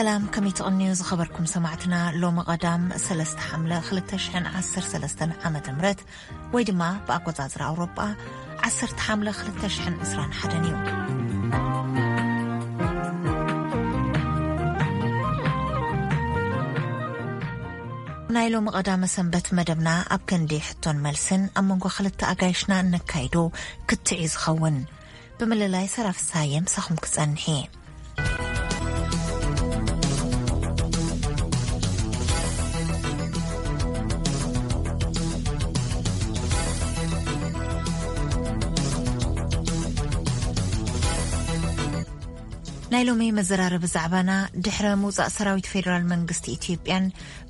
ሰላም፣ ከመይ ትቕንዩ ዝኸበርኩም ሰማዕትና? ሎሚ ቀዳም ሰለስተ ሓምለ ክልተ ሽሕን ዓሰርተ ሰለስተን ዓመተ ምህረት፣ ወይ ድማ ብኣቆጻጽራ ኣውሮጳ ዓሰርተ ሓምለ ክልተ ሽሕን ዕስራን ሓደን እዩ። ናይ ሎሚ ቀዳመ ሰንበት መደብና ኣብ ክንዲ ሕቶን መልስን ኣብ መንጎ ክልተ ኣጋይሽና እነካይዶ ክትዕ እዩ ዝኸውን። ብምልላይ ሰራ ፍስሃየ ምሳኹም ክጸንሕ እየ። ናይ ሎሚ መዘራረቢ ዛዕባና፣ ድሕረ ምውጻእ ሰራዊት ፌደራል መንግስቲ ኢትዮጵያን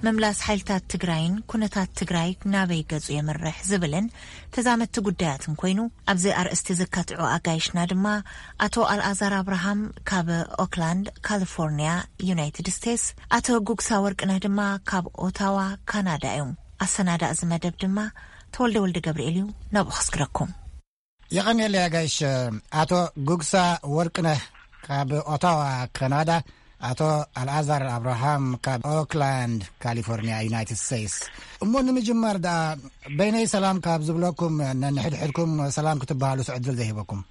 ምምላስ ሓይልታት ትግራይን፣ ኩነታት ትግራይ ናበይ ገጹ የምርሕ ዝብልን ተዛመድቲ ጉዳያትን ኮይኑ፣ ኣብዚ ኣርእስቲ ዘካትዑ ኣጋይሽና ድማ፣ ኣቶ ኣልኣዛር ኣብርሃም ካብ ኦክላንድ ካሊፎርኒያ፣ ዩናይትድ ስቴትስ፣ ኣቶ ጉግሳ ወርቅነህ ድማ ካብ ኦታዋ፣ ካናዳ እዮም። ኣሰናዳ እዚ መደብ ድማ ተወልደ ወልደ ገብርኤል እዩ። ናብኡ ከስግረኩም። የቐንየለይ ኣጋይሽ። ኣቶ ጉግሳ ወርቅነህ ካብ ኦታዋ፣ ካናዳ፣ ኣቶ ኣልኣዛር ኣብርሃም ካብ ኦክላንድ ካሊፎርኒያ፣ ዩናይትድ ስቴትስ። እሞ ንምጅማር ደኣ፣ በይነይ ሰላም ካብ ዝብለኩም፣ ነንሕድሕድኩም ሰላም ክትበሃሉ ዕድል ዘይህበኩም።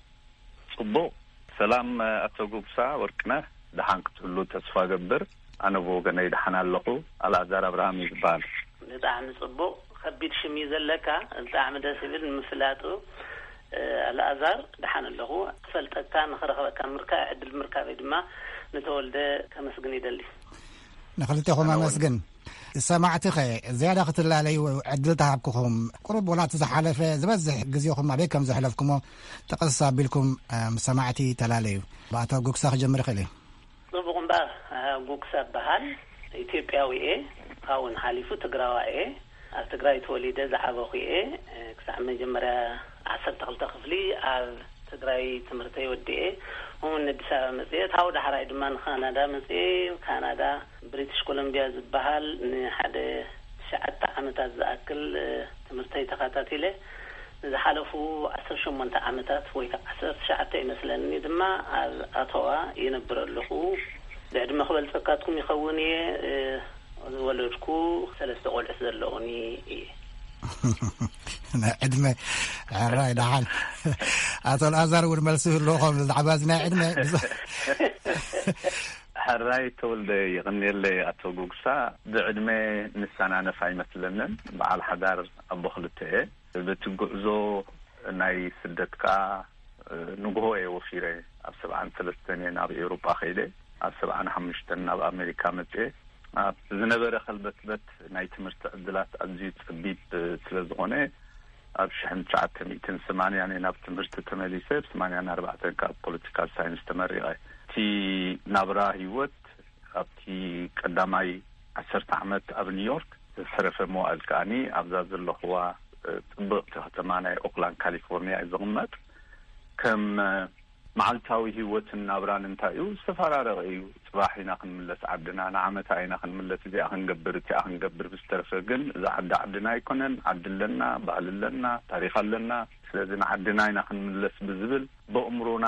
ጽቡቕ። ሰላም ኣቶ ጉግሳ ወርቅነህ፣ ደሓን ክትህሉ ተስፋ ገብር። ኣነ ብወገነይ ደሓን ኣለኹ። ኣልኣዛር ኣብርሃም እዩ ዝበሃል። ብጣዕሚ ጽቡቕ። ከቢድ ሽም እዩ ዘለካ። ብጣዕሚ ደስ ይብል ንምፍላጡ። ኣልኣዛር፣ ደሓን ኣለኹ። ክፈልጠካ፣ ንኽረኽበካ ምርካ ዕድል ምርካበይ ድማ ንተወልደ ከመስግን ይደሊ። ንኽልቴኹም ኣነ እውን። ኣመስግን። ሰማዕቲ ኸ ዝያዳ ክትላለዩ ዕድል ተሃብኩኹም፣ ቁሩብ ወላ እቲ ዝሓለፈ ዝበዝሕ ግዜኹም ኣበይ ከም ዘሕለፍኩሞ ጠቐስ ኣቢልኩም፣ እ፣ ምስ ሰማዕቲ ተላለዩ። ብኣቶ ጉግሳ ክጀምር ይኽእል እዩ። ጽቡቕ እምበኣር፣ እ፣ ጉግሳ እበሃል። ኢትዮጵያዊ እየ። ካብኡ ሓሊፉ ትግራዋይ እየ። ኣብ ትግራይ ተወሊደ ዝዓበኹ እየ። እ፣ ክሳዕ መጀመርያ ዓሰርተ ክልተ ክፍሊ ኣብ ትግራይ ትምህርተይ ወዲኤ፣ እውን ኣዲስ ኣበባ መፅኤ፣ ካብኡ ዳሕራይ ድማ ንካናዳ መፅኤ። ካናዳ ብሪቲሽ ኮሎምቢያ ዝበሃል ንሓደ ትሽዓተ ዓመታት ዝኣክል፣ እ፣ ትምህርተይ ተኸታቲለ። ንዝሓለፉ ዓሰርተ ሸሞንተ ዓመታት ወይ ከዓ ዓሰርተ ትሽዓተ ይመስለኒ ድማ ኣብ ኣቶዋ ይነብር ኣለኹ። ብዕድመ ክበልፀካትኩም ይኸውን እየ፣ እ፣ ዝወለድኩ ሰለስተ ቆልዑት ዘለዉኒ እየ። ናይ ዕድመ ሕራይ ደሓን። ኣቶ ኣልኣዛር እውን መልሲ ይህልዎ ከም ብዛዕባ እዚ ናይ ዕድመ ብዙ- ሕራይ ተወልደ፣ ይቕንየለይ ኣቶ ጉግሳ። ብዕድመ ንሰናነፍ ኣይመስለንን። በዓል ሓዳር ኣቦ ክልተ እየ። በቲ ጉዕዞ ናይ ስደት ከኣ፣ ንግሆ እየ ወፊረ። ኣብ ሰብዓን ሰለስተን እየ ናብ ኤውሮጳ ከይደ። ኣብ ሰብዓን ሓሙሽተን ናብ ኣሜሪካ መጽኤ። ኣብ ዝነበረ ከልበትበት ናይ ትምህርቲ ዕድላት ኣዝዩ ጸቢብ ስለ ዝኾነ፣ ኣብ ሽሕን ትሽዓተ ሚእትን ሰማንያን እየ ናብ ትምህርቲ ተመሊሰ። ብ ሰማንያን ኣርባዕተን ካብ ፖለቲካል ሳይንስ ተመሪቐ። እቲ ናብራ ህይወት ኣብቲ ቀዳማይ ዓሰርተ ዓመት ኣብ ኒውዮርክ፣ ዝተረፈ መዋእል ከኣኒ ኣብዛ ዘለኹዋ፣ እ፣ ጽብቕቲ ከተማ ናይ ኦክላንድ ካሊፎርኒያ እዩ ዝቕመጥ። ከም፣ እ፣ መዓልታዊ ህይወትን ናብራን እንታይ እዩ? ዝተፈራረቐ እዩ። ጽባሕ ኢና ክንምለስ ዓድና፣ ንዓመታ ኢና ክንምለስ፣ እዚኣ ክንገብር፣ እቲኣ ክንገብር። ብዝተረፈ ግን እዛ ዓዲ ዓድና ኣይኮነን። ዓዲ ኣለና፣ ባህሊ ኣለና፣ ታሪኽ ኣለና። ስለዚ ንዓድና ኢና ክንምለስ ብዝብል፣ በእምሮና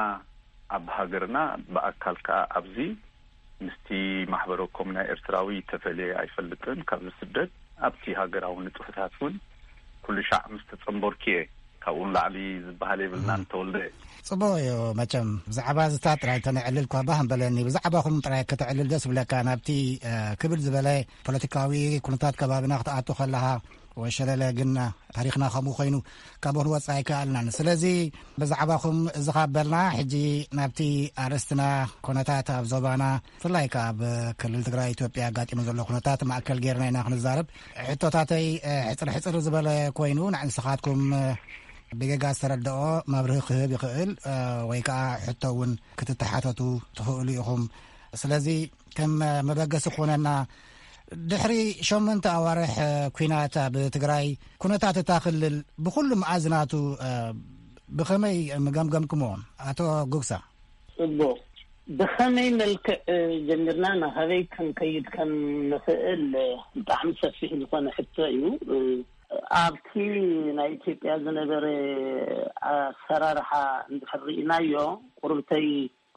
ኣብ ሃገርና፣ ብኣካል ከኣ ኣብዚ ምስቲ ማሕበረኮም ናይ ኤርትራዊ ተፈልየ ኣይፈልጥን። ካብዚ ስደት ኣብቲ ሃገራዊ ንጥፈታት እውን ኩሉ ሻዕ ምስ ተጸንበርኩ እየ። ካብኡ ንላዕሊ ዝበሃል የብልናን፣ እም። ተወልደ። ጽቡቕ እዩ። መቸም ብዛዕባ እዚታት ጥራይ ተነዕልል እኳ ባህ ምበለኒ። ብዛዕባኹም ጥራይ ከተዕልል ደስ ይብለካ። ናብቲ፣ እ፣ ክብል ዝበለ ፖለቲካዊ ኩነታት ከባቢና ክትኣቱ ከለኻ፣ ወሸለለ ግን ታሪኽና ከምኡ ኮይኑ ካብ ክንወጽእ ኣይከኣልናን። ስለዚ ብዛዕባኹም እዚ ካብ በልና፣ ሕጂ ናብቲ ኣርእስትና፣ ኩነታት ኣብ ዞባና፣ ብፍላይ ከኣ ኣብ ክልል ትግራይ ኢትዮጵያ ኣጋጢሙ ዘሎ ኩነታት ማእከል ጌርና ኢና ክንዛረብ። ሕቶታተይ፣ እ፣ ሕጽር ሕጽር ዝበለ ኮይኑ፣ ንዓይ ንስኻትኩም፣ እ፣ ብጌጋ ዝተረድኦ መብርሂ ክህብ ይኽእል፣ እ፣ ወይ ከኣ ሕቶ እውን ክትተሓተቱ ትኽእሉ ኢኹም። ስለዚ ከም መበገሲ ክኾነና፣ ድሕሪ ሸሞንተ ኣዋርሕ ኲናት ኣብ ትግራይ፣ ኩነታት እታ ክልል ብኹሉ መኣዝናቱ፣ እ፣ ብኸመይ ምገምገምክሞ? ኣቶ ጉግሳ። ጽቡቕ። ብኸመይ መልክዕ ጀሚርና ናበይ ክንከይድ ከም ንኽእል ብጣዕሚ ሰፊሕ ዝኾነ ሕቶ እዩ። ኣብቲ ናይ ኢትዮጵያ ዝነበረ ኣሰራርሓ እንድሕር ርኢናዮ፣ ቁርብተይ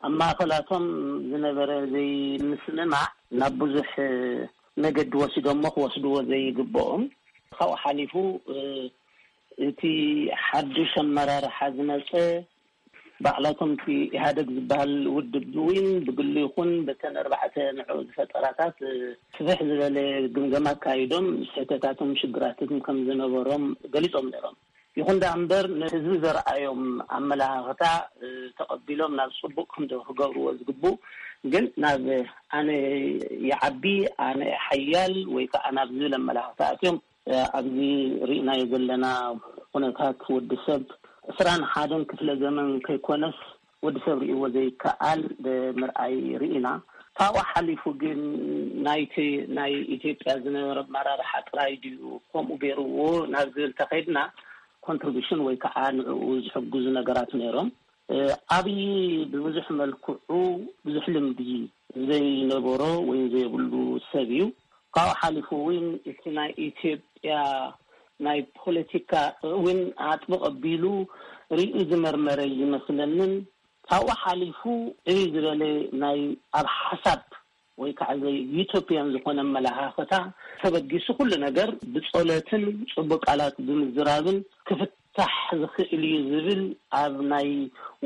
ኣብ ማእኸላቶም ዝነበረ ዘይምስምማዕ ናብ ብዙሕ መገዲ ወሲዶሞ ክወስድዎ ዘይግብኦም፣ ካብኡ ሓሊፉ እቲ ሓዱሽ ኣመራርሓ ዝመፀ ባዕላቶም እቲ ኢህኣደግ ዝበሃል ውድብ እውን ብግሉ ይኹን በተን ኣርባዕተ ንዑ ዝፈጠራታት ስፍሕ ዝበለ ግምገማ ኣካይዶም ስሕተታቶም ሽግራትን ከም ዝነበሮም ገሊፆም ነይሮም። ይኹን ደኣ እምበር ንህዝቢ ዘርኣዮም ኣመላኻኽታ ተቐቢሎም ናብ ፅቡቕ ክንዲ ክገብርዎ ዝግብኡ፣ ግን ናብ ኣነ ይዓቢ፣ ኣነ ሓያል ወይ ከዓ ናብ ዝብል ኣመላኻኽታ ኣትዮም ኣብዚ ርኢናዮ ዘለና ኩነታት ወዲ ሰብ ዕስራን ሓደን ክፍለ ዘመን ከይኮነስ ወዲ ሰብ ርእይዎ ዘይከኣል ምርኣይ ርኢና። ካብኡ ሓሊፉ ግን ናይቲ ናይ ኢትዮጵያ ዝነበረ ኣመራርሓ ጥራይ ድዩ ከምኡ ገይርዎ ናብ ዝብል ተኸይድና፣ ኮንትሪቢሽን ወይ ከዓ ንዕኡ ዝሕግዙ ነገራት ነይሮም። ኣብይ ብብዙሕ መልክዑ ብዙሕ ልምዲ ዘይነበሮ ወይ ዘይብሉ ሰብ እዩ። ካብኡ ሓሊፉ እውን እቲ ናይ ኢትዮጵያ ናይ ፖለቲካ እውን ኣጥብቕ ኣቢሉ ርእዩ ዝመርመረ ይመስለንን፣ ካብኡ ሓሊፉ ዕብይ ዝበለ ናይ ኣብ ሓሳብ ወይ ከዓ ዘይ ዩቶፒያን ዝኾነ ኣመለኻኽታ ተበጊሱ ኩሉ ነገር ብጸሎትን ጽቡቅ ቃላት ብምዝራብን ክፍታሕ ዝኽእል እዩ ዝብል ኣብ ናይ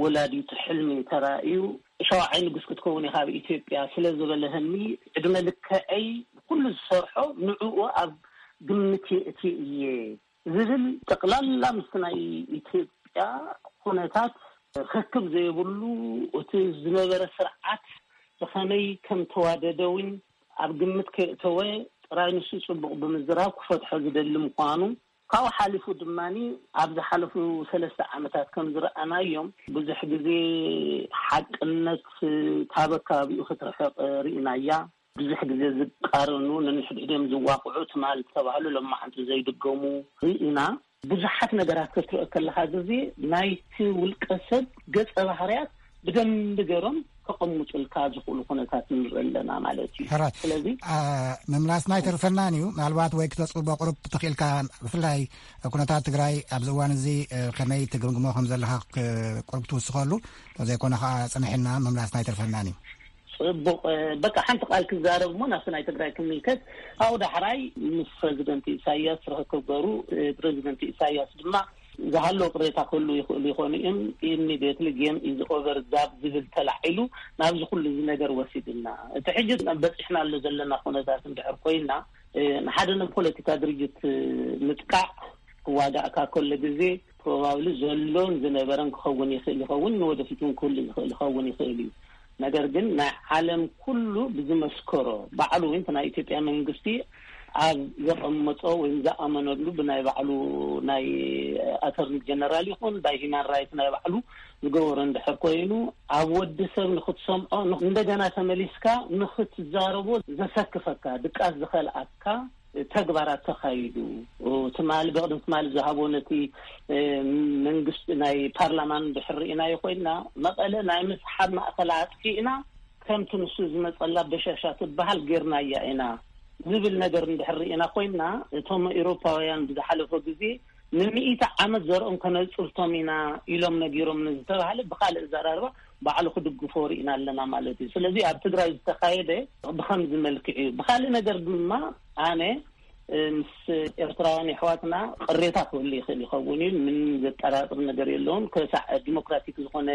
ወላዲቱ ሕልሚ ተራእዩ፣ ሸውዓይ ንጉስ ክትከውን ኢኻ ኣብ ኢትዮጵያ ስለ ዝበለህኒ፣ ዕድመ ልክዐይ ኩሉ ዝሰርሖ ንዕኡ ኣብ ግምት የእትየ እየ ዝብል ጠቕላላ ምስቲ ናይ ኢትዮጵያ ኩነታት ርክብ ዘይብሉ፣ እቲ ዝነበረ ስርዓት ብኸመይ ከም ተዋደደ እውን ኣብ ግምት ከየእተወ ጥራይ ንሱ ጽቡቕ ብምዝራብ ክፈትሖ ዝደሊ ምዃኑ፣ ካብኡ ሓሊፉ ድማ ኣብ ዝሓለፉ ሰለስተ ዓመታት ከም ዝረኣናዮም ብዙሕ ግዜ ሓቅነት ካብ ኣከባቢኡ ክትርሕቕ ርኢናያ። ብዙሕ ግዜ ዝቃረኑ፣ ነንሕድሕዶም ዝዋቕዑ ትማል ዝተባህሉ ሎማዓንቲ ዘይድገሙ ርኢና። ብዙሓት ነገራት ክትርኢ ከለኻ ግዜ ናይቲ ውልቀ ሰብ ገጸ ባህርያት ብደንቢ ገይሮም ከቐምጡልካ ዝኽእሉ ኩነታት ንርኢ ኣለና ማለት እዩ። ሕራይ። ስለዚ ኣ፣ ምምላስና ኣይተርፈናን እዩ። ምናልባት ወይ ክተጽብቦ ቁሩብ ተኽኢልካ፣ ብፍላይ ኩነታት ትግራይ ኣብዚ እዋን እዚ፣ እ፣ ከመይ ትግምግሞ ከም ዘለኻ ክ-፣ ቁሩብ ትውስኸሉ፣ እንተዘይኮነ ኸዓ ጽንሕ ኢልና ምምላስና ኣይተርፈናን እዩ። ጽቡቕ። በቃ ሓንቲ ቃል ክዛረብ እሞ ናብቲ ናይ ትግራይ ክምልከት። ካብኡ ዳሕራይ ምስ ፕረዚደንት ኢሳያስ ርኽክብ ገሩ። ፕረዚደንት ኢሳያስ ድማ ዝሃለወ ቅሬታ ክህሉ ይኽእሉ ይኾኑ እዮም። ኢሚድየትሊ ጌም ኢዝ ኦቨር ዛብ ዝብል ተላዒሉ ናብዚ ኩሉ እዚ ነገር ወሲድና። እቲ ሕጂ በፂሕናሉ ዘለና ኩነታት እንድሕር ኮይና፣ ንሓደ ናይ ፖለቲካ ድርጅት ምጥቃዕ ክዋጋእካ ከሎ ግዜ ፕሮባብሊ ዘሎን ዝነበረን ክኸውን ይኽእል ይኸውን፣ ንወደፊት እውን ክህሉ ዝኽእል ይኸውን ይኽእል እዩ። ነገር ግን ናይ ዓለም ኩሉ ብዝመስከሮ፣ ባዕሉ እውን እቲ ናይ ኢትዮጵያ መንግስቲ ኣብ ዘቐመጦ ወይም ዝኣመነሉ ብናይ ባዕሉ ናይ ኣተርኒ ጀነራል ይኹን ባይ ሂማን ራይት ናይ ባዕሉ ዝገበሮ እንድሕር ኮይኑ፣ ኣብ ወዲ ሰብ ንክትሰምዖ፣ ን-፣ እንደገና ተመሊስካ ንክትዛረቦ ዘሰክፈካ፣ ድቃስ ዝኸልኣካ ተግባራት ተኻይዱ። ትማሊ፣ ብቕድሚ ትማሊ ዝሃቦ ነቲ፣ እ፣ መንግስቲ ናይ ፓርላማን ድሕር ርኢናዮ ኮይንና፣ መቐለ ናይ ምስሓብ ማእኸላ ኣጥፊእና፣ ከምቲ ንሱ ዝመጸላ በሻሻ ትበሃል ጌርናያ ኢና ዝብል ነገር እንድሕር ርኢና ኮይንና፣ እቶም ኤውሮፓውያን ብዝሓለፈ ግዜ ንምእቲ ዓመት ዘርኦም ከነጽብቶም ኢና ኢሎም ነጊሮም ንዝተባህለ ብኻልእ ኣዘራርባ ባዕሉ ክድግፎ ርኢና ኣለና ማለት እዩ። ስለዚ ኣብ ትግራይ ዝተኻየደ ብኸምዚ መልክዕ እዩ። ብኻልእ ነገር ድማ ኣነ፣ እ፣ ምስ ኤርትራውያን የሕዋትና ቅሬታ ክህሉ ይኽእል ይኸውን እዩ። ምን ዘጠራጥር ነገር የለውን። ክሳዕ ዲሞክራቲክ ዝኾነ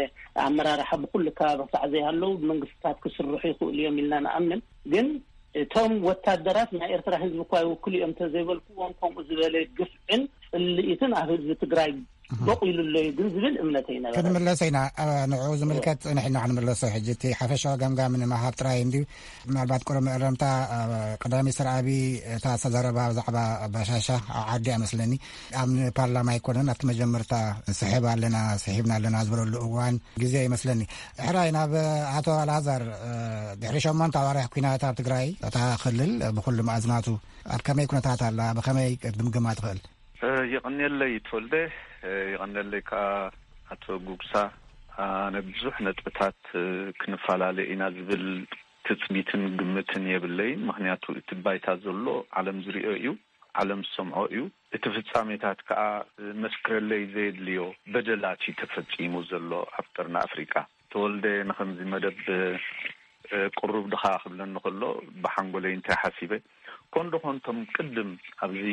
ኣመራርሓ ብኩሉ ከባቢ ክሳዕ ዘይሃለዉ መንግስታት ክስርሑ ይኽእሉ እዮም ኢልና ንኣምን። ግን እቶም ወታደራት ናይ ኤርትራ ህዝቢ እኳ ይውክሉ እዮም እንተዘይበልክዎም፣ ከምኡ ዝበለ ግፍዕን ጽልኢትን ኣብ ህዝቢ ትግራይ በቂሉ ኣሎ እዩ ግን ዝብል እምነተይ ነበረ። ክንምለስ ኢና። እ፣ ንዕኡ ዝምልከት ንሕና ክንምለሶ፣ ሕጂ እቲ ሓፈሻዊ ገምጋም ንምሃብ ጥራይ እንድዩ። ምናልባት ቅሩብ መእረምታ፣ እ፣ ቀዳማይ ሚኒስትር ኣብይ እታ ዝተዛረባ ብዛዕባ ባሻሻ ኣብ ዓዲ እያ መስለኒ። ኣብ ፓርላማ ኣይኮነን፣ ኣብቲ መጀመርታ ንስሕብ ኣለና፣ ስሒብና ኣለና ዝበለሉ እዋን ግዜ ይመስለኒ። ሕራይ ናብ ኣቶ ኣልኣዛር፣ እ፣ ድሕሪ ሸሞንተ ኣዋርሕ ኲናት ኣብ ትግራይ፣ እታ ክልል ብኹሉ መኣዝናቱ ኣብ ከመይ ኩነታት ኣላ? ብኸመይ ክትግምግማ ትኽእል? እ፣ የቐንየለይ ተወልደ፣ እ፣ የቐንየለይ ከኣ ኣቶ ጉግሳ። ኣነ ብዙሕ ነጥብታት፣ እ፣ ክንፈላለ ኢና ዝብል ትጽቢትን ግምትን የብለይን። ምኽንያቱ እቲ ባይታ ዘሎ ዓለም ዝሪኦ እዩ፣ ዓለም ዝሰምዖ እዩ። እቲ ፍጻሜታት ከኣ፣ እ፣ መስክረለይ ዘየድልዮ በደላት እዩ ተፈጺሙ ዘሎ ኣብ ቀርኒ ኣፍሪቃ። ተወልደ ንኸምዚ መደብ ቅሩብ ድኻ ክብለኒ ከሎ፣ ብሓንጎለይ እንታይ ሓሲበ፣ ኮንዶ ኮንቶም ቅድም ኣብዚ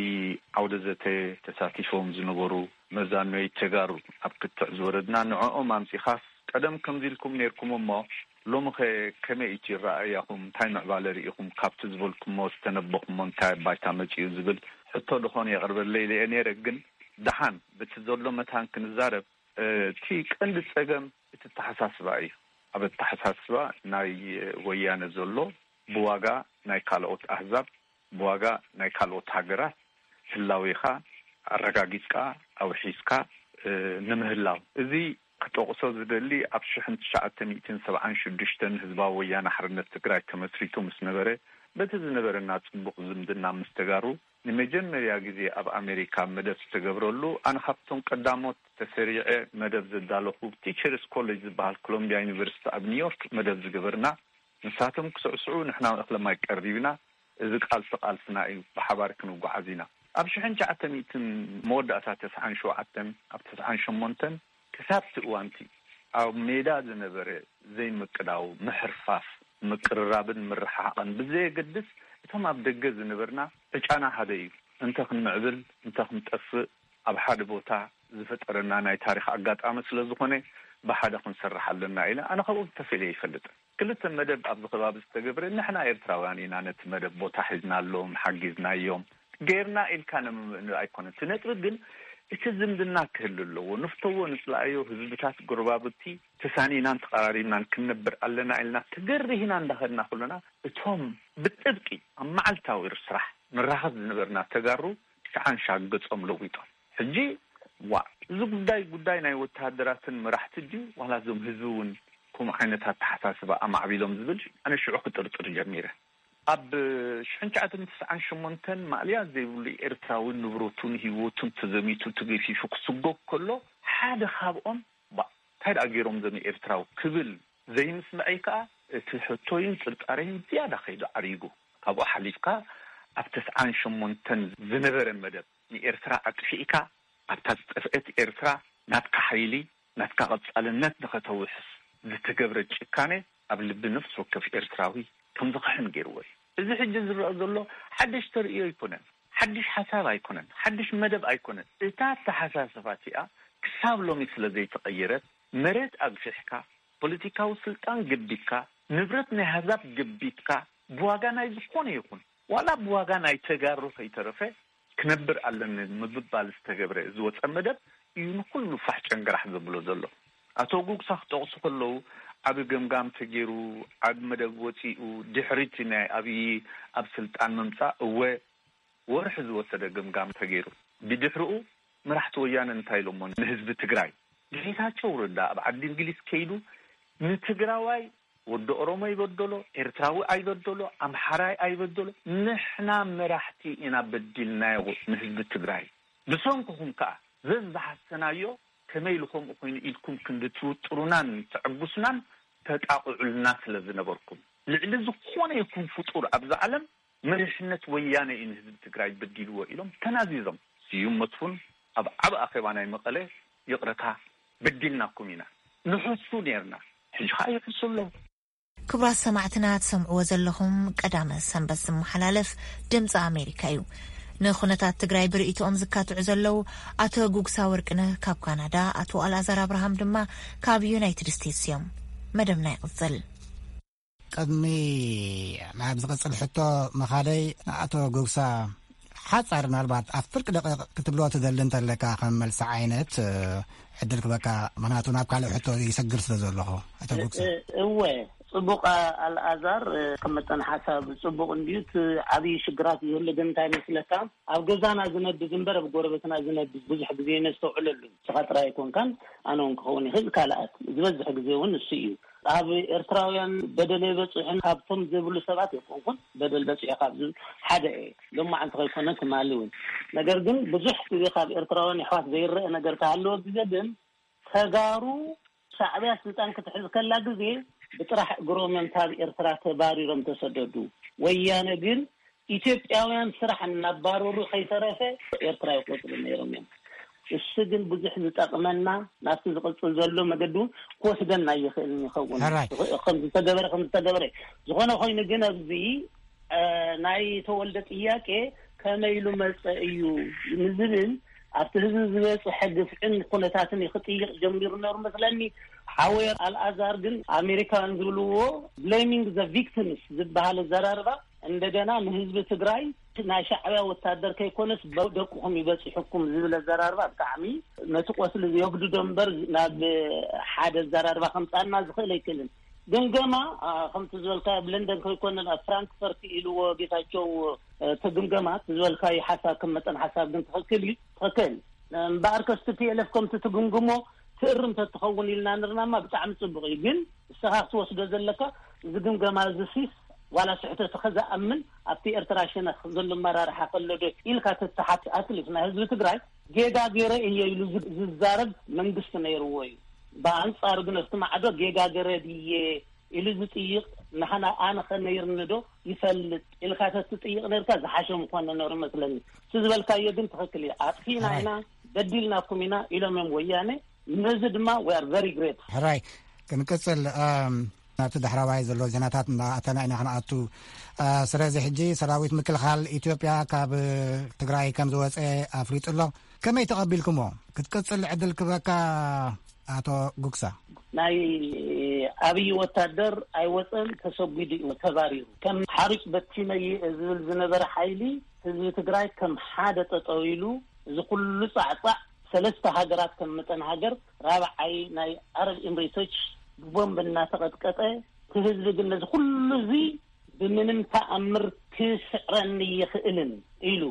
ዓውደ ዘተ ተሳቲፎም ዝነበሩ መዛኖይ ተጋሩ ኣብ ክትዕ ዝወረድና፣ ንዕኦም ኣምጺኻስ ቀደም ከምዚ ኢልኩም ነይርኩም እሞ ሎምኸ ከመይ እቲ ረኣያኹም፣ እንታይ ምዕባለ ርኢኹም ካብቲ ዝበልኩሞ ዝተነበኹሞ እንታይ ባይታ መጺኡ ዝብል ሕቶ ደኾን የቕርበለይ ኢለ ነይረ። ግን ደሓን በቲ ዘሎ መታን ክንዛረብ፣ እቲ ቀንዲ ጸገም እቲ ኣተሓሳስባ እዩ። ኣብ ኣተሓሳስባ ናይ ወያነ ዘሎ ብዋጋ ናይ ካልኦት ኣህዛብ፣ ብዋጋ ናይ ካልኦት ሃገራት ህላዌኻ ኣረጋጊጽካ ኣውሒስካ ንምህላው። እዚ ክጠቕሶ ዝደሊ ኣብ ሽሕን ትሽዓተ ሚእትን ሰብዓን ሽዱሽተን ህዝባዊ ወያነ ሓርነት ትግራይ ተመስሪቱ ምስ ነበረ፣ በቲ ዝነበረና ጽቡቕ ዝምድና ምስ ተጋሩ ንመጀመርያ ግዜ ኣብ ኣሜሪካ መደብ ዝተገብረሉ፣ ኣነ ካብቶም ቀዳሞት ተሰሪዐ መደብ ዘዳለኹ ቲቸርስ ኮሌጅ ዝበሃል ኮሎምቢያ ዩኒቨርሲቲ ኣብ ኒውዮርክ መደብ ዝገበርና፣ ንሳቶም ክስዕስዑ ንሕና እኽለ ማይ ቀሪብና፣ እዚ ቃልሲ ቃልስና እዩ፣ ብሓባር ክንጓዓዝ ኢና። ኣብ ሽሕን ትሽዓተ ሚእትን መወዳእታ ተስዓን ሸውዓተን ኣብ ተስዓን ሸሞንተን ክሳብ እቲ እዋንቲ ኣብ ሜዳ ዝነበረ ዘይምቅዳው፣ ምሕርፋፍ፣ ምቅርራብን ምርሕሓቕን ብዘየገድስ፣ እቶም ኣብ ደገ ዝነበርና ዕጫና ሓደ እዩ። እንተ ክንምዕብል እንተ ክንጠፍእ ኣብ ሓደ ቦታ ዝፈጠረና ናይ ታሪኽ ኣጋጣሚ ስለ ዝኾነ ብሓደ ክንሰርሕ ኣለና ኢለ ኣነ ካብኦም ተፈልየ ይፈልጥ። ክልተ መደብ ኣብዚ ከባቢ ዝተገብረ፣ ንሕና ኤርትራውያን ኢና ነቲ መደብ ቦታ ሒዝናሎም፣ ሓጊዝናዮም፣ ገይርና ኢልካ ንምምእን ኣይኮነን። እቲ ነጥቢ ግን እቲ ዝምድና ክህሉ ኣለዎ። ንፍተዎ ንጽላእዮ ህዝብታት ጎረባብቲ ተሳኒናን ተቐራሪብናን ክንነብር ኣለና ኢልና ተገሪህና እንዳኸድና ከለና፣ እቶም ብጥብቂ ኣብ መዓልታዊ ስራሕ ንራኸብ ዝነበርና ተጋሩ ትሽዓን ሻዕ ገጾም ለዊጦም። ሕጂ ዋእ፣ እዚ ጉዳይ ጉዳይ ናይ ወተሃደራትን መራሕቲ ድዩ ዋላ እዞም ህዝቢ እውን ከምኡ ዓይነት ኣተሓሳስባ ኣማዕቢሎም ዝብል ኣነ ሽዑ ክጥርጥር ጀሚረ። ኣብ ሽሕን ትሽዓተ ሚእትን ተስዓን ሸሞንተን ማእለያ ዘይብሉ ኤርትራዊ ንብረቱን ህይወቱን ተዘሚቱ ተገፊፉ ክስጎግ ከሎ ሓደ ካብኦም ባ እንታይ ደኣ ገይሮም ዘም ኤርትራዊ ክብል ዘይምስምዐይ ከኣ እቲ ሕቶይን ጥርጣረይን ዝያዳ ከይዱ ዓሪጉ። ካብኡ ሓሊፍካ ኣብ ተስዓን ሸሞንተን ዝነበረ መደብ ንኤርትራ ኣጥፊእካ ኣብታ ዝጠፍአት ኤርትራ ናትካ ሓይሊ ናትካ ቀጻልነት ንኸተውሕስ ዝተገብረ ጭካኔ ኣብ ልቢ ነፍሲ ወከፍ ኤርትራዊ ከም ዝኸሕን ገይርዎ እዩ። እዚ ሕጂ ዝረአ ዘሎ ሓድሽ ተርእዮ ኣይኮነን፣ ሓድሽ ሓሳብ ኣይኮነን፣ ሓድሽ መደብ ኣይኮነን። እታ ኣተሓሳስባ እቲኣ ክሳብ ሎሚ ስለ ዘይተቐየረት፣ መሬት ኣግፊሕካ፣ ፖለቲካዊ ስልጣን ገቢትካ፣ ንብረት ናይ ኣህዛብ ገቢትካ፣ ብዋጋ ናይ ዝኾነ ይኹን፣ ዋላ ብዋጋ ናይ ተጋሩ ከይተረፈ ክነብር ኣለኒ ምብባል ዝተገብረ ዝወፀ መደብ እዩ ንኩሉ ፋሕ ጨንገራሕ ዘብሎ ዘሎ። ኣቶ ጉግሳ ክጠቕሱ ከለዉ፣ ዓቢ ገምጋም ተገይሩ፣ ዓቢ መደብ ወፂኡ፣ ድሕሪቲ ናይ ኣብዪ ኣብ ስልጣን ምምፃእ፣ እወ፣ ወርሒ ዝወሰደ ገምጋም ተገይሩ። ብድሕሪኡ መራሕቲ ወያነ እንታይ ኢሎሞ ንህዝቢ ትግራይ? ጌታቸው ረዳ ኣብ ዓዲ እንግሊዝ ከይዱ ንትግራዋይ፣ ወዲ ኦሮሞ ይበደሎ፣ ኤርትራዊ ኣይበደሎ፣ ኣምሓራይ ኣይበደሎ፣ ንሕና መራሕቲ ኢና በዲልናዮ ንህዝቢ ትግራይ። ብሰንክኹም ከኣ ዘዝሓሰናዮ ከመይ ኢሉ ከምኡ ኮይኑ ኢልኩም ክንዲ ትውጥሩናን ተዕጉስናን ተጣቕዑልና ስለ ዝነበርኩም፣ ልዕሊ ዝኾነ ይኹን ፍጡር ኣብዚ ዓለም መሪሕነት ወያነ እዩ ንህዝቢ ትግራይ በዲልዎ ኢሎም ተናዚዞም። ስዩም መስፉን ኣብ ዓቢ ኣኼባ ናይ መቐለ ይቕረታ በዲልናኩም ኢና ንሕሱ ነርና፣ ሕጂ ኸኣ ይሕሱ ኣለዉ። ክቡራት ሰማዕትና፣ ትሰምዕዎ ዘለኹም ቀዳመ ሰንበት ዝመሓላለፍ ድምፂ ኣሜሪካ እዩ። ንኹነታት ትግራይ ብርእይቶኦም ዝካትዑ ዘለዉ ኣቶ ጉግሳ ወርቅነህ ካብ ካናዳ፣ ኣቶ ኣልኣዛር ኣብርሃም ድማ ካብ ዩናይትድ ስቴትስ እዮም። መደብና ይቕጽል። ቅድሚ ናብ ዝቕጽል ሕቶ ምኻደይ፣ ኣቶ ጉግሳ፣ ሓጻር ምናልባት ኣብ ፍርቂ ደቂቕ ክትብሎ ትደሊ እንተለካ ከም መልሲ ዓይነት፣ እ፣ ዕድል ክበካ፣ ምኽንያቱ ናብ ካልእ ሕቶ ይሰግር ስለ ዘለኹ። ኣቶ ጉግሳ። እ-፣ እወ፣ ጽቡቕ ኣልኣዛር፣ እ፣ ከም መጠን ሓሳብ ጽቡቕ እንድዩ። እቲ ዓብዪ ሽግራት ዝህሉ ግን እንታይ መስለካ? ኣብ ገዛና ዝነብዝ እምበር ኣብ ጎረቤትና ዝነብዝ ብዙሕ ግዜ ነስተውዕለሉ። ንስኻ ጥራይ ኣይኮንካን፣ ኣነ እውን ክኸውን ይኽእል፣ ካልኣት። ዝበዝሕ ግዜ እውን እሱ እዩ። ኣብ ኤርትራውያን በደል ኣይበጽሕን፣ ካብቶም ዝብሉ ሰባት ኣይኮንኩን፣ በደል በጺሑ ካብ ዝብል ሓደ እየ። ሎማዓንቲ ከይኮነ ትማሊ እውን። ነገር ግን ብዙሕ ግዜ ካብ ኤርትራውያን የሕዋት ዘይረአ ነገር ክሃለወ ግዜ ግን፣ ተጋሩ ሻዕብያ ስልጣን ክትሕዝ ከላ ግዜ ብጥራሕ እግሮም እዮም ካብ ኤርትራ ተባሪሮም ተሰደዱ። ወያነ ግን ኢትዮጵያውያን ስራሕ እናባረሩ ከይተረፈ ኤርትራ ይቆጽሩ ነይሮም እዮም። እሱ ግን ብዙሕ ዝጠቕመና ናብቲ ዝቕጽል ዘሎ መገዲ እውን ክወስደና ይኽእል ይኸውን። ሕራይ። ከም ዝተገበረ ከም ዝተገበረ ዝኾነ ኮይኑ ግን ኣብዚ ናይ ተወልደ ጥያቄ ከመይ ኢሉ መጸ እዩ ንዝብል ኣብቲ ህዝቢ ዝበጽሐ ግፍዕን ኩነታትን ክጥይቕ ጀሚሩ ነሩ መስለኒ። ሓወየ ኣልኣዛር ግን ኣሜሪካውያን ዝብልዎ blaming the victims ዝበሃል ኣዘራርባ እንደገና ንህዝቢ ትግራይ ናይ ሻዕብያ ወታደር ከይኮነስ ደቅኹም ይበጽሑኩም ዝብል ኣዘራርባ ብጣዕሚ ነቲ ቆስሊ የጉድዶ እምበር ናብ ሓደ ኣዘራርባ ከምጻና ዝኽእል ኣይክእልን። ግምገማ ከምቲ ዝበልካ ኣብ ለንደን ከይኮነን ኣብ ፍራንክፈርት ኢልዎ ጌታቸው። እቲ ግምገማ ዝበልካዩ ሓሳብ ከም መጠን ሓሳብ ግን ትኽክል እዩ። ትኽክል እምበኣር ከስቲ ፒኤልኤፍ ከምቲ ትግምግሞ ትእርም ተትኸውን ኢልና ንርናማ ብጣዕሚ ጽቡቕ እዩ። ግን እስኻ ክትወስዶ ዘለካ እዚ ግምገማ እዚ ሲስ ዋላ ስሕተት ከዝኣምን ኣብቲ ኤርትራ ሸነኽ ዘሎ መራርሓ ከሎ ዶ ኢልካ ተትሓት ኣትሊስ ናይ ህዝቢ ትግራይ ጌጋ ገይረ እየ ኢሉ ዝዛረብ መንግስቲ ነይርዎ እዩ። ብኣንጻሩ ግን ኣብቲ ማዕዶ ጌጋ ገይረ ድየ ኢሉ ዝጥይቕ ንሓና ኣነ ከነይርኒ ዶ ይፈልጥ ኢልካ ተትጥይቕ ነርካ ዝሓሸ ምኾነ ነሩ መስለኒ። እቲ ዝበልካዮ ግን ትኽክል እዩ። ኣጥፊና ኢና በዲልናኩም ኢና ኢሎም እዮም ወያነ። ነዚ ድማ we are very great። ሕራይ ክንቅጽል ናብቲ ዳሕራዋይ ዘሎ ዜናታት እናኣተና ኢና ክንኣቱ። ስለዚ ሕጂ ሰራዊት ምክልኻል ኢትዮጵያ ካብ ትግራይ ከም ዝወፀ ኣፍሊጡ ኣሎ። ከመይ ተቐቢልኩሞ? ክትቅጽል ዕድል ክበካ ኣቶ ጉግሳ። ናይ ኣብይ ወታደር ኣይወፀን፣ ተሰጒዱ እዩ ተባሪሩ። ከም ሓሩጭ በቲነይ ዝብል ዝነበረ ሓይሊ ህዝቢ ትግራይ ከም ሓደ ጠጠው ኢሉ እዚ ኩሉ ፃዕፃዕ ሰለስተ ሃገራት ከም መጠን ሃገር ራብዓይ ናይ ዓረብ ኤምሬቶች ብቦምብ እናተቐጥቀጠ እቲ ህዝቢ ግን ነዚ ኩሉ እዚ ብምንም ተኣምር ክስዕረኒ ይኽእልን ኢሉ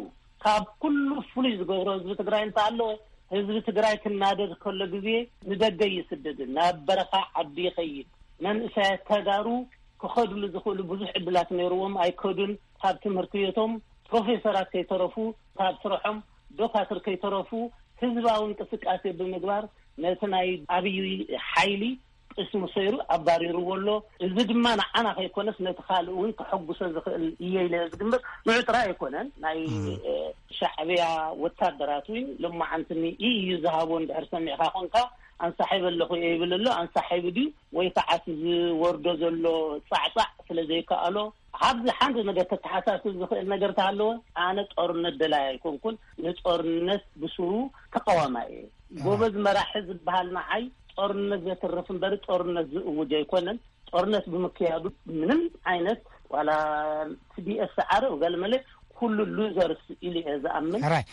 ካብ ኩሉ ፍሉይ ዝገብሮ ህዝቢ ትግራይ እንተኣለወ ህዝቢ ትግራይ ክናደድ ከሎ ግዜ ንደገ ይስደድን ናብ በረኻ ዓዲ ይኸይድ። መንእሰያት ተጋሩ ክኸድሉ ዝኽእሉ ብዙሕ ዕድላት ነይርዎም ኣይከዱን። ካብ ትምህርቲ ቤቶም ፕሮፌሰራት ከይተረፉ ካብ ስርሖም ዶካትር ከይተረፉ ህዝባዊ እንቅስቃሴ ብምግባር ነቲ ናይ ኣብይ ሓይሊ ቅስሙ ሰይሩ ኣባሪርዎ ኣሎ። እዚ ድማ ንዓና ከይኮነስ ነቲ ካልእ እውን ከሐጉሰ ዝኽእል እየ ኢለ ዝግምት። ንዑ ጥራይ ኣይኮነን ናይ ሻዕብያ ወታደራት እውን ሎማዓንቲ ንኢ እዩ ዝሃቦ እንድሕር ሰሚዕካ ኮንካ ኣንሳሒብ ኣለኹ እየ ይብል ኣሎ። ኣንሳሒብ ድዩ ወይ ከዓ እቲ ዝወርዶ ዘሎ ፃዕፃዕ ስለ ዘይከኣሎ ኣብዚ ሓንቲ ነገር ተተሓሳስብ ዝኽእል ነገር ተሃለወ ኣነ ጦርነት ደላይ ኣይኮንኩን። ንጦርነት ብስሩ ተቃዋማይ እየ። ጎበዝ መራሒ ዝበሃል ንዓይ ጦርነት ዘትርፍ እምበር ጦርነት ዝእውጅ ኣይኮነን። ጦርነት ብምክያዱ ምንም ዓይነት ዋላ ቲዲኤፍ ሰዓረ ገለመለ ኩሉ ሉዘርስ ኢሉ እየ ዝኣምን። ሕራይ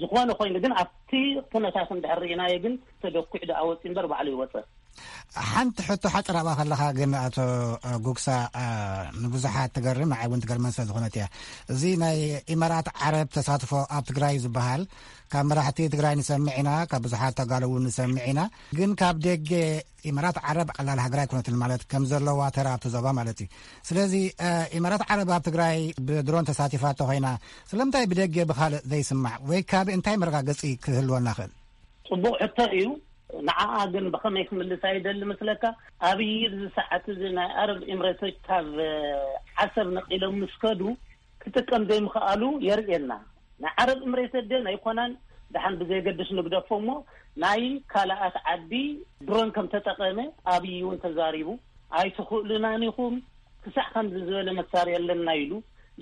ዝኾነ ኮይኑ ግን ኣብቲ ኩነታት እንድሕር ርኢናዮ ግን ተደኩዕ ደኣ ወፂ እምበር ባዕሉ ይወፀ። ሓንቲ ሕቶ ሓፂር ኣብኣ ከለኻ ግን ኣቶ ጉግሳ ንብዙሓት ትገርም ንዓይ እውን ትገርመን ስለ ዝኾነት እያ። እዚ ናይ ኢማራት ዓረብ ተሳትፎ ኣብ ትግራይ ዝበሃል ካብ መራሕቲ ትግራይ ንሰምዕ ኢና፣ ካብ ብዙሓት ተጋሩ እውን ንሰምዕ ኢና። ግን ካብ ደገ ኢማራት ዓረብ ቀላል ሃገር ኣይኮነትን ማለት ከም ዘለዋ ተራ ኣብቲ ዞባ ማለት እዩ። ስለዚ ኢማራት ዓረብ ኣብ ትግራይ ብድሮን ተሳቲፋ እንተኾይና ስለምንታይ ብደገ ብኻልእ ዘይስማዕ ወይ ካብ እንታይ መረጋገፂ ክህልወና ክእል? ፅቡቕ ሕቶ እዩ። ንዓኣ ግን ብኸመይ ክምልሳ ይደሊ መስለካ? ኣብይ ኣብዚ ሰዓት እዚ ናይ ኣረብ ኤምሬቶች ካብ ዓሰብ ነቒሎም ምስ ከዱ ክጥቀም ዘይምኽኣሉ የርእየና። ናይ ዓረብ ኤምሬቶች ደን ኣይኮናን። ደሓን ብዘየገድስ ንግደፎ እሞ ናይ ካልኣት ዓዲ ድሮን ከም ተጠቐመ ኣብይ እውን ተዛሪቡ ኣይትኽእሉናን ኢኹም ክሳዕ ከምዚ ዝበለ መሳርያ ኣለና ኢሉ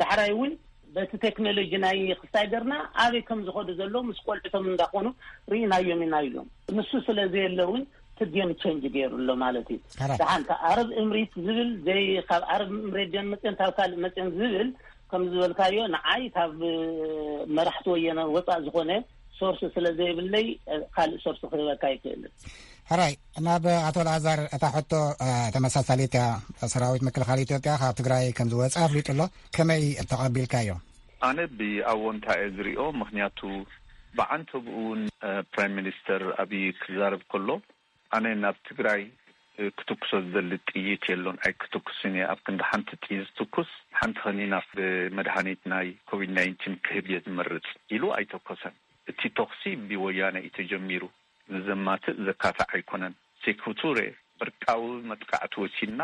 ዳሕራይ እውን በቲ ቴክኖሎጂ ናይ ክሳይ ገርና ኣበይ ከም ዝኸዱ ዘለዉ ምስ ቆልዕቶም እንዳኾኑ ርኢናዮም ኢና ኢሎም። ንሱ ስለ ዘየለ እውን እቲ ጌም ቸንጅ ገይሩ ኣሎ ማለት እዩ። ሕራይ። ደሓን ካብ ዓረብ እምሪት ዝብል ዘይ ካብ ዓረብ እምሬት ደን መፅን ካብ ካልእ መፅን ዝብል ከም ዝበልካዮ ንዓይ ካብ መራሕቲ ወየነ ወፃእ ዝኾነ ሶርስ ስለ ዘይብለይ ካልእ ሶርስ ክህበካ ኣይክእልን። ሕራይ ናብ ኣቶ ኣልኣዛር እታ ሕቶ ተመሳሳሊት እያ። ሰራዊት ምክልኻል ኢትዮጵያ ካብ ትግራይ ከም ዝወፀ ኣፍሊጡ ኣሎ። ከመይ ተቐቢልካዮ? ኣነ ብኣወንታ እየ ዝሪኦ። ምኽንያቱ ብዓንተብኡ እውን ፕራይም ሚኒስተር ኣብይ ክዛረብ ከሎ ኣነ ናብ ትግራይ ክትኩሶ ዝደሊ ጥይት የሎን ኣይክትኩስን እየ። ኣብ ክንዲ ሓንቲ ጥይት ዝትኩስ ሓንቲ ከኒና ብመድሃኒት ናይ ኮቪድ ናይንቲን ክህብ እየ ዝመርፅ ኢሉ ኣይተኮሰን። እቲ ተኹሲ ብወያነ እዩ ተጀሚሩ። ንዘማትእ ዘካትዕ ኣይኮነን። ሴኩቱሬ ዕርቃዊ መጥቃዕቲ ወሲድና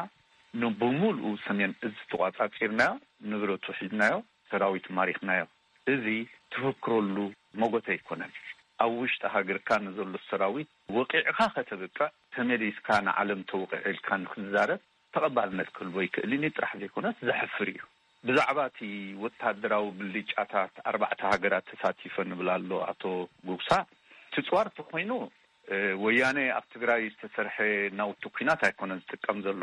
ንብሙሉኡ ሰሜን እዝ ተቋጻጺርናዮ፣ ንብረቱ ሒዝናዮ፣ ሰራዊት ማሪኽናዮ። እዚ ትፍክረሉ መጎት ኣይኮነን። ኣብ ውሽጢ ሃገርካ ንዘሎ ሰራዊት ወቂዕካ ከተብቅዕ፣ ተመሊስካ ንዓለም ተወቂዐ ኢልካ ንክትዛረብ ተቐባልነት ክህልዎ ይክእል እዩ ጥራሕ ዘይኮነስ ዘሕፍር እዩ። ብዛዕባ እቲ ወታደራዊ ብልጫታት ኣርባዕተ ሃገራት ተሳቲፈ ንብል ኣሎ ኣቶ ጉግሳ። ትፅዋር ተኮይኑ ወያነ ኣብ ትግራይ ዝተሰርሐ ናውቲ ኩናት ኣይኮነን ዝጥቀም ዘሎ።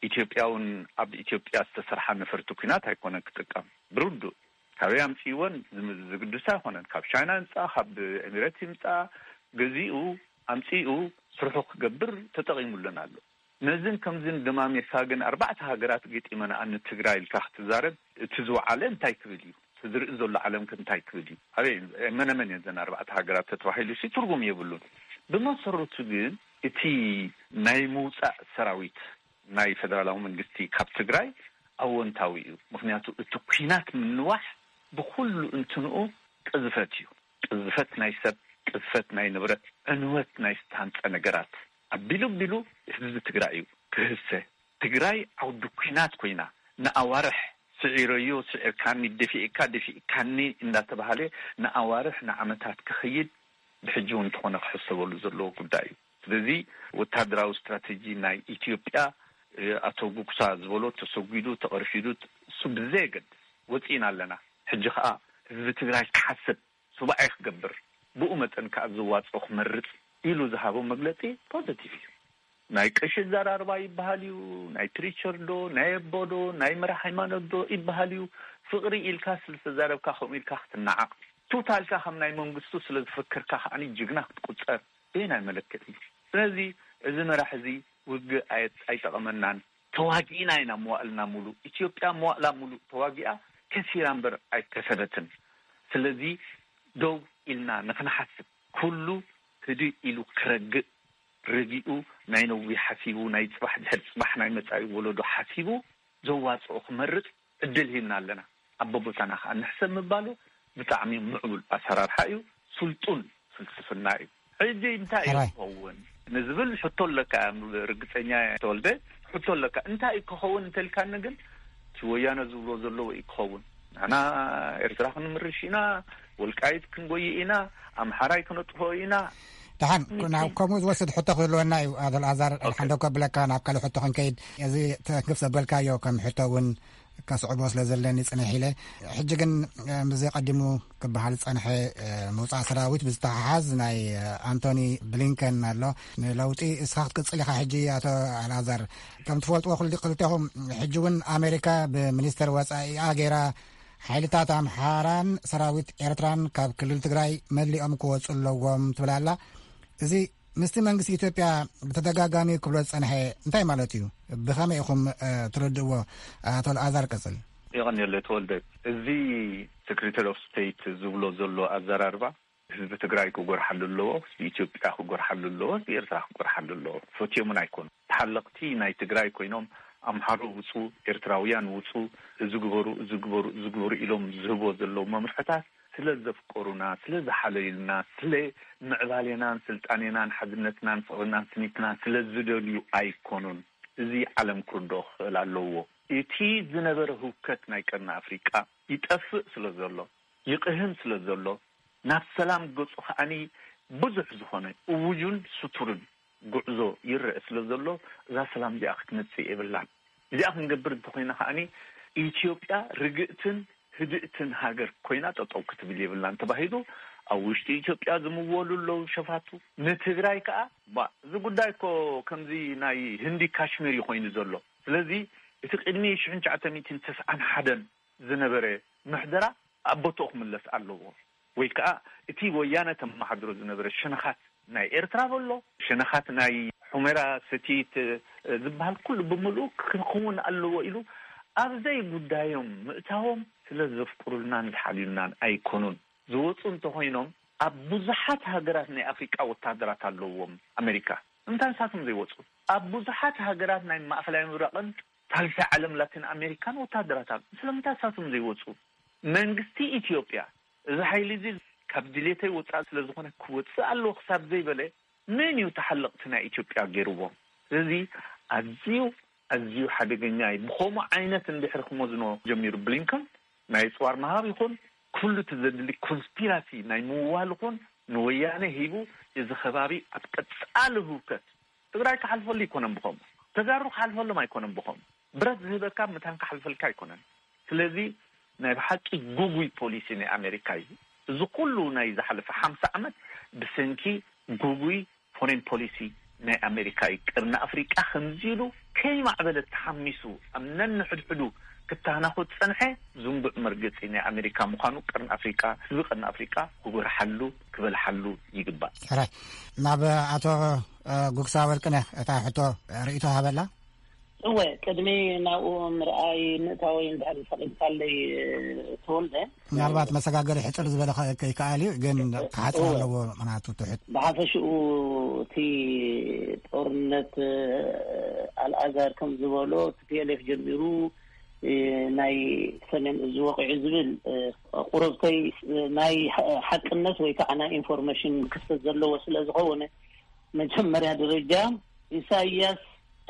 ኢትዮጵያ እውን ኣብ ኢትዮጵያ ዝተሰርሓ ነፈርቲ ኩናት ኣይኮነን ክጥቀም። ብርዱእ ካበይ ኣምፅእወን ዝግድስ ኣይኮነን። ካብ ቻይና ይምፃ፣ ካብ ኤሚሬት ይምፃ፣ ገዚኡ ኣምፂኡ ስርሑ ክገብር ተጠቂሙለን ኣሎ። ነዝን ከምዝን ደማሚርካ ግን ኣርባዕተ ሃገራት ገጢመናኣ ንትግራይ ኢልካ ክትዛረብ፣ እቲ ዝወዓለ እንታይ ክብል እዩ? እቲ ዝርኢ ዘሎ ዓለም ከ እንታይ ክብል እዩ? ኣበይ መነመን እየን ዘን ኣርባዕተ ሃገራት ተተባሂሉ ሲ ትርጉም የብሉን። ብመሰረቱ ግን እቲ ናይ ምውፃእ ሰራዊት ናይ ፌደራላዊ መንግስቲ ካብ ትግራይ ኣወንታዊ እዩ። ምክንያቱ እቲ ኩናት ምንዋሕ ብኩሉ እንትንኡ ቅዝፈት እዩ። ቅዝፈት ናይ ሰብ፣ ቅዝፈት ናይ ንብረት፣ ዕንወት ናይ ዝተሃንፀ ነገራት ኣቢሉ ኣቢሉ ህዝቢ ትግራይ እዩ ክህሰ። ትግራይ ዓውዲ ኩናት ኮይና ንኣዋርሕ ስዒረዮ፣ ስዒርካኒ፣ ደፊእካ፣ ደፊእካኒ እንዳተባሃለ ንኣዋርሕ ንዓመታት ክኸይድ ብሕጂ እውን እንተኾነ ክሕሰበሉ ዘለዎ ጉዳይ እዩ። ስለዚ ወታደራዊ ስትራተጂ ናይ ኢትዮጵያ፣ እ፣ ኣቶ ጉግሳ ዝበሎ ተሰጒዱ፣ ተቐርፊዱ፣ እሱ ብዘየገድስ ወፂእና ኣለና። ሕጂ ከዓ ህዝቢ ትግራይ ክሓስብ፣ ሱባኤ ክገብር፣ ብኡ መጠን ከዓ ዝዋፅኦ ክመርፅ ኢሉ ዝሃቦ መግለፂ ፖዘቲቭ እዩ። ናይ ቀሺ ዘራርባ ይበሃል እዩ፣ ናይ ፕሪቸር ዶ፣ ናይ ኣቦ ዶ፣ ናይ መራሕ ሃይማኖት ዶ ይበሃል እዩ። ፍቕሪ ኢልካ ስለ ዝተዛረብካ ከምኡ ኢልካ ክትነዓቕ፣ ቱታ ኢልካ ከም ናይ መንግስቱ ስለ ዝፈከርካ ከዓኒ ጅግና ክትቁፀር በየናይ መለክዒ እዩ? ስለዚ እዚ መራሒ እዚ ውግእ ኣየ-፣ ኣይጠቐመናን። ተዋጊእና ኢና መዋእልና ሙሉእ። ኢትዮጵያ መዋእላ ሙሉእ ተዋጊኣ ከሲራ እምበር ኣይከሰበትን። ስለዚ ደው ኢልና ንክንሓስብ፣ ኩሉ ህድእ ኢሉ ክረግእ፣ ረጊኡ ናይ ነዊሕ ሓሲቡ፣ ናይ ጽባሕ ድሕሪ ጽባሕ ናይ መጻኢ ወለዶ ሓሲቡ ዘዋጽኦ ክመርጽ ዕድል ሂብና ኣለና። ኣብ በቦታና ከኣ ንሕሰብ ምባሉ ብጣዕሚ ምዕቡል ኣሰራርሓ እዩ፣ ስልጡን ፍልስፍና እዩ። ሕጂ እንታይ እዩ ሕራይ። ክኸውን ንዝብል ሕቶ ኣለካ። ርግጸኛ ተወልደ ሕቶ ኣለካ። እንታይ እዩ ክኸውን እንተልካኒ ግን እቲ ወያነ ዝብሎ ዘለዎ እዩ ክኸውን። ንሕና ኤርትራ ክንምርሽ ኢና፣ ወልቃይት ክንጎይ ኢና፣ ኣምሓራይ ክነጥፍኦ ኢና። ደሓን፣ ን-፣ ናብ ከምኡ ዝወስድ ሕቶ ክህልወና እዩ። ኣቶ ኣልኣዛር፣ ኦኬ። ሓንዶ ከብለካ ናብ ካልእ ሕቶ ክንከይድ። እዚ ተንክፍ ዘበልካዮ ከም ሕቶ እውን ከስዕቦ ስለ ዘለኒ ጽንሕ ኢለ። ሕጂ ግን፣ እ፣ ምስዚ ቀዲሙ ክበሃል ዝጸንሐ፣ እ፣ ምውጻእ ሰራዊት ብዝተሓሓዝ ናይ፣ እ፣ ኣንቶኒ ብሊንከን ኣሎ። ንለውጢ እስኻ ክትቅጽል ኢኻ ሕጂ ኣቶ ኣልኣዛር። ከም ትፈልጥዎ ክል-፣ ክልቴኹም ሕጂ እውን ኣሜሪካ ብሚኒስተር ወጻኢኣ ገይራ ሓይልታት ኣምሓራን ሰራዊት ኤርትራን ካብ ክልል ትግራይ መሊኦም ክወጹ ኣለዎም ትብል ኣላ። እዚ ምስቲ መንግስቲ ኢትዮጵያ ብተደጋጋሚ ክብሎ ዝጸንሐ እንታይ ማለት እዩ? ብኸመይ ኢኹም፣ እ፣ ትረድእዎ? ኣቶ ኣልኣዛር ቀጽል። የቐንየለይ ተወልደ። እዚ ሴክሬታሪ ኦፍ ስቴት ዝብሎ ዘሎ ኣዘራርባ ህዝቢ ትግራይ ክጎርሓሉ ኣለዎ፣ ህዝቢ ኢትዮጵያ ክጎርሓሉ ኣለዎ፣ ህዝቢ ኤርትራ ክጎርሓሉ ኣለዎ። ፈትዮምን ኣይኮኑ። ተሓለቕቲ ናይ ትግራይ ኮይኖም ኣምሓሩ ውጹ፣ ኤርትራውያን ውጹ፣ እዚ ግበሩ፣ እዚ ግበሩ፣ እዚ ግበሩ ኢሎም ዝህቦ ዘለዉ መምርሕታት ስለ ዘፍቀሩና፣ ስለ ዝሓለዩልና፣ ስለ ምዕባሌናን ስልጣኔናን ሓድነትናን ፍቕርናን ስኒትናን ስለ ዝደልዩ ኣይኮኑን። እዚ ዓለም ክርድኦ ክኽእል ኣለዎ። እቲ ዝነበረ ህውከት ናይ ቀርኒ ኣፍሪቃ ይጠፍእ ስለ ዘሎ፣ ይቕህም ስለ ዘሎ፣ ናብ ሰላም ገጹ ከዓኒ ብዙሕ ዝኾነ እውጁን ስቱርን ጉዕዞ ይረአ ስለ ዘሎ፣ እዛ ሰላም እዚኣ ክትመጽእ የብላን። እዚኣ ክንገብር እንተኾይና ከዓኒ ኢትዮጵያ ርግእትን ህድእትን ሃገር ኮይና ጠጠው ክትብል የብላን ተባሂሉ ኣብ ውሽጢ ኢትዮጵያ ዝምወሉ ኣለዉ ሸፋቱ። ንትግራይ ከኣ፣ ባ፣ እዚ ጉዳይ እኮ ከምዚ ናይ ህንዲ ካሽሚር እዩ ኮይኑ ዘሎ። ስለዚ እቲ ቅድሚ ሽሕን ትሽዓተ ሚእትን ተስዓን ሓደን ዝነበረ ምሕደራ ኣብ ቦትኡ ክምለስ ኣለዎ። ወይ ከኣ እቲ ወያነ ተመሓድሮ ዝነበረ ሸነኻት ናይ ኤርትራ በሎ፣ ሸነኻት ናይ ሑመራ ሰቲት፣ እ፣ ዝበሃል ኩሉ ብምሉኡ ክኸውን ኣለዎ ኢሉ ኣብ ዘይጉዳዮም ምእታዎም ስለ ዘፍቅሩልናን ዝሓልዩልናን ኣይኮኑን። ዝወጹ እንተኾይኖም ኣብ ብዙሓት ሃገራት ናይ ኣፍሪቃ ወታደራት ኣለዎም ኣሜሪካ። ንምንታይ ንሳቶም ዘይወጹ? ኣብ ብዙሓት ሃገራት ናይ ማእከላይ ምብራቕን ሳልሳይ ዓለም ላቲን ኣሜሪካን ወታደራት ኣሎ። ስለምንታይ ንሳቶም ዘይወጹ? መንግስቲ ኢትዮጵያ እዚ ሓይሊ እዚ ካብ ድሌተይ ወጻኢ ስለ ዝኾነ ክወጽእ ኣለዎ ክሳብ ዘይበለ መን እዩ ተሓለቕቲ ናይ ኢትዮጵያ ገይርዎም? ስለዚ ኣዝዩ፣ ኣዝዩ ሓደገኛ እዩ። ብኸምኡ ዓይነት እንድሕሪ ክመዝኖ ጀሚሩ ብሊንከን ናይ ኣጽዋር ምሃብ ይኹን ኩሉ እቲ ዘድሊ ኮንስፒራሲ ናይ ምውዋል ይኹን ንወያነ ሂቡ፣ እዚ ከባቢ ኣብ ቀጻሊ ህውከት፣ ትግራይ ክሓልፈሉ ኣይኮነን ብኸምኡ፣ ተጋሩ ክሓልፈሎም ኣይኮነን ብኸምኡ፣ ብረት ዝህበካ መታን ክሓልፈልካ ኣይኮነን። ስለዚ ናይ ብሓቂ ጉጉይ ፖሊሲ ናይ ኣሜሪካ እዩ። እዚ ኩሉ ናይ ዝሓለፈ ሓምሳ ዓመት ብሰንኪ ጉጉይ ፎሬን ፖሊሲ ናይ ኣሜሪካ እዩ። ቅርኒ ኣፍሪቃ ከምዚ ኢሉ ከይማዕበለ ተሓሚሱ ኣብ ነንሕድሕዱ ክተናኹ ዝጸንሐ ዝንቡዕ መርገጺ ናይ ኣሜሪካ ምዃኑ ቅርኒ ኣፍሪቃ፣ ህዝቢ ቅርኒ ኣፍሪቃ ክጉርሓሉ፣ ክበልሓሉ ይግባእ። ሕራይ፣ ናብ ኣቶ፣ እ፣ ጉግሳ ወርቅነህ እታ ሕቶ ርእይቶ ሃበላ። እወ፣ ቅድሚ ናብኡ ምርኣይ ምእታወይ እንድሕር ፈቒድካለይ፣ ተወልደ። ምናልባት መሰጋገሪ ሕጽር ዝበለ ከ-፣ ከይከኣል እዩ፣ ግን ክሓጽር እወ። ኣለዎ፣ ምኽንያቱ ትሑት። ብሓፈሽኡ እቲ ጦርነት፣ ኣልኣዛር ከም ዝበሎ፣ ቲ ፒ ኤል ኤፍ ጀሚሩ፣ ናይ ሰሜን እዝ ወቂዑ ዝብል፣ ቁረብተይ ናይ ሓቅነት ወይ ከዓ ናይ ኢንፎርሜሽን ክፍተት ዘለዎ ስለ ዝኸውን፣ መጀመርያ ደረጃ ኢሳያስ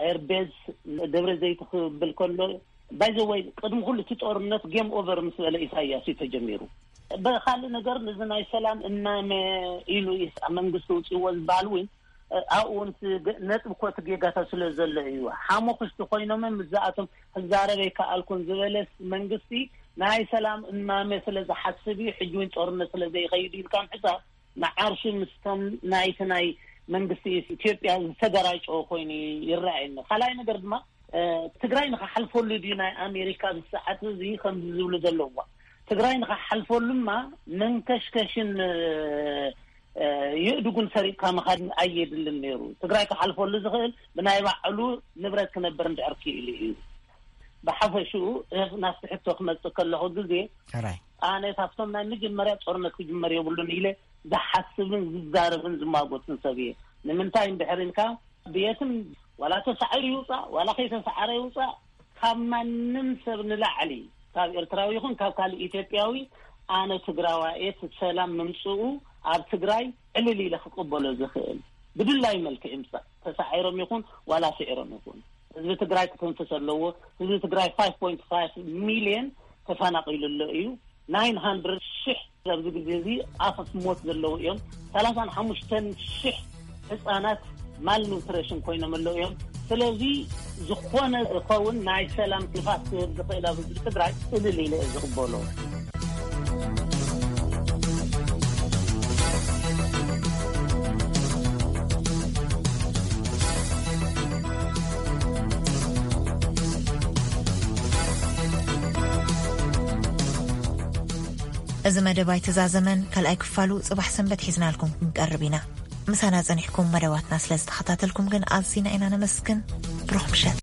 ኤርቤዝ ደብረ ዘይት ክብል ከሎ፣ ባይ ዘ ወይ፣ ቅድሚ ኩሉ እቲ ጦርነት ጌም ኦቨር ምስ በለ ኢሳያስ እዩ ተጀሚሩ። ብካልእ ነገር፣ ነዚ ናይ ሰላም እማመ ኢሉ ኢስ-፣ መንግስቲ ውፅዎ ዝበሃል እውን፣ ኣብኡ እውን እቲ ገ-፣ ነጥቢ ኮቲ ጌጋታት ስለ ዘሎ እዩ። ሓሙኽሽቲ ኮይኖም ምስዛኣቶም ክዛረብ ኣይከኣልኩን ዝበለ መንግስቲ፣ ናይ ሰላም እማመ ስለ ዝሓስብ እዩ፣ ሕጂ እውን ጦርነት ስለ ዘይኸይድ ኢልካ ምሕሳብ፣ ንዓርሱ ምስቶም ናይቲ ናይ መንግስቲ ኢትዮጵያ ዝተገራጨወ ኮይኑ ይረኣየኒ። ካልኣይ ነገር ድማ፣ እ፣ ትግራይ ንኽሓልፈሉ ድዩ ናይ ኣሜሪካ ኣብዚ ሰዓት እዚ ከምዚ ዝብሉ ዘለውዋ? ትግራይ ንኽሓልፈሉማ መንከሽከሽን፣ እ፣ እ፣ የእድጉን ሰሪቕካ ምኻድ ኣየድልን ነይሩ። ትግራይ ክሓልፈሉ ዝኽእል ብናይ ባዕሉ ንብረት ክነብር እንድሕር ክኢሉ እዩ። ብሓፈሽኡ፣ እ፣ ናብቲ ሕቶ ክመጽእ ከለኹ ግዜ፣ ሕራይ። ኣነ ካብቶም ናይ መጀመርያ ጦርነት ክጅመር የብሉን ኢለ ዝሓስብን ዝዛረብን ዝማጎትን ሰብ እየ። ንምንታይ እንድሕር ኢልካ፣ ብየትም ዋላ ተሳዒሩ ይውፃእ ዋላ ከይተሳዓረ ይውፃእ፣ ካብ ማንም ሰብ ንላዕሊ፣ ካብ ኤርትራዊ ይኹን ካብ ካልእ ኢትዮጵያዊ፣ ኣነ ትግራዋይ እየ። እቲ ሰላም ምምፅኡ ኣብ ትግራይ ዕልል ኢለ ክቅበሎ ዝኽእል፣ ብድላዩ መልክዕ ይምፃእ፣ ተሳዒሮም ይኹን ዋላ ስዒሮም ይኹን፣ ህዝቢ ትግራይ ክትንፍስ ኣለዎ። ህዝቢ ትግራይ ፋይቭ ፖይንት ፋይቭ ሚልዮን ተፈናቒሉ ኣሎ እዩ። ናይን ሃንድረድ ሽሕ ኣብዚ ግዜ እዚ ኣፈፍ ሞት ዘለዉ እዮም። ሰላሳን ሓሙሽተን ሽሕ ህፃናት ማልኑትሪሽን ኮይኖም ኣለዉ እዮም። ስለዚ ዝኾነ ዝኸውን ናይ ሰላም ንፋስ ክህብ ዝኽእል ኣብ ህዝቢ ትግራይ እልል ኢለ እየ ዝቕበሎ። እዚ መደብ ኣይተዛዘመን። ካልኣይ ክፋሉ ጽባሕ ሰንበት ሒዝናልኩም ክንቀርብ ኢና። ምሳና ጸኒሕኩም መደባትና ስለ ዝተኸታተልኩም ግን ኣዚና ኢና ነመስግን። ብሩኽ ምሸት።